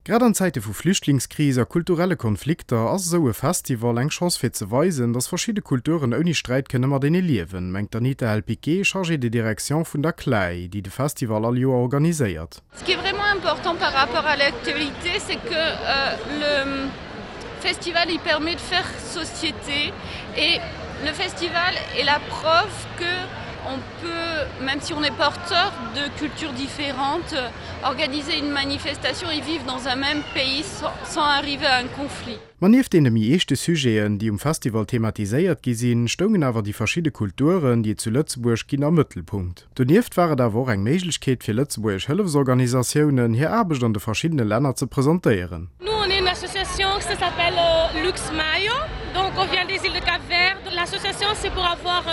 Grad an Zäite vu Flüchtlingskris a kulturelle Konflikter ass esou e Festival eng Chance fir ze weisen, datt verschidde Kulturen ouni Sträit kënne matenee liewen, mengt d'Anita Helpiquet, Chargée de direction vun der CLAE, déi de Festival all Joer organiséiert. Ce qui est vraiment important par rapport à l'actualité, c'est que le festival il permet de faire société et le festival est la preuve que on peut, même si on est porteur de cultures différentes, organiser une manifestation et vivre dans un même pays sans, sans arriver à un conflit. Ma nieft deene méi eeschte Sujeten, déi um Festival thematiséiert gi sinn, stoungen awer déi verschidde Kulturen, déi et zu Lëtzebuerg ginn, am Mëttelpunkt. Donieft war et awer och eng Méiglechkeet fir lëtzebuergesch Hëllefsorganisatiounen, hir Aarbecht an de verschiddene Länner ze presentéieren. Nous on est une association qui s'appelle Lux Mayo, donc on vient des îles de Cap Vert. L'association c'est pour avoir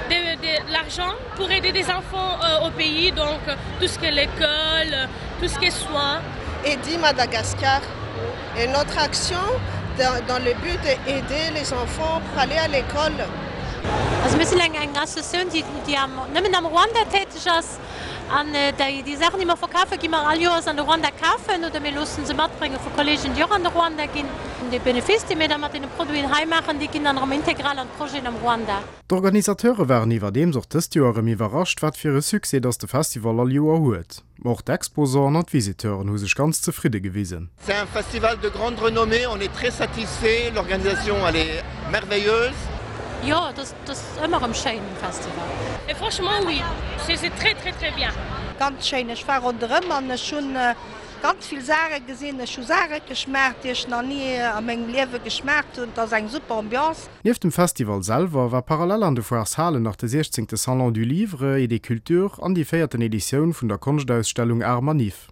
de, de l'argent pour aider des enfants au pays, donc tout ce qui est l'école, tout ce qui est soins. Aider Madagascar et notre action dans, dans le but d'aider les enfants pour aller à l'école. Also mir sinn eng eng Associatioun, déi déi am nëmmen am Ruanda täteg ass. An déi déi Saachen, déi mer verkafen, gi mer all Joers an de Ruanda kafen oder mir loosse se matbrénge vu Kolleegen, déi och an de Ruanda ginn. Dee Benefice, dee mir da mat deene Produiten hei maachen, dee ginn dann erëm integral an d'Projeten am Ruanda. D'Organisateure waren iwwerdeems och dëst Joer erëm iwwerrascht, wat fir e Succès datt de Festival all Joer huet. Ma och d'Exposanten an d'Visiteuren hu sech ganz zefridde gewisen. C'est un festival de grande renommée, on est très satisfaits, l'organisation elle est merveilleuse. Jo, et ass ëmmer erëm schéin um Festival. Et franchement oui, c'est très très très bien. Ganz schéin, ech war ronderëm an ech hunn ganz vill Saache gesinn. Ech hu Saache geschmaacht, déi ech nach ni a mengem Liewe geschmaacht hunn. Et ass eng super Ambiance. Nieft dem Festival selwer war parallel an de Foireshalen nach de 16. Salon du Livre et des Cultures an déi véierten Editioun vun der Konschtausstellung Art Manif.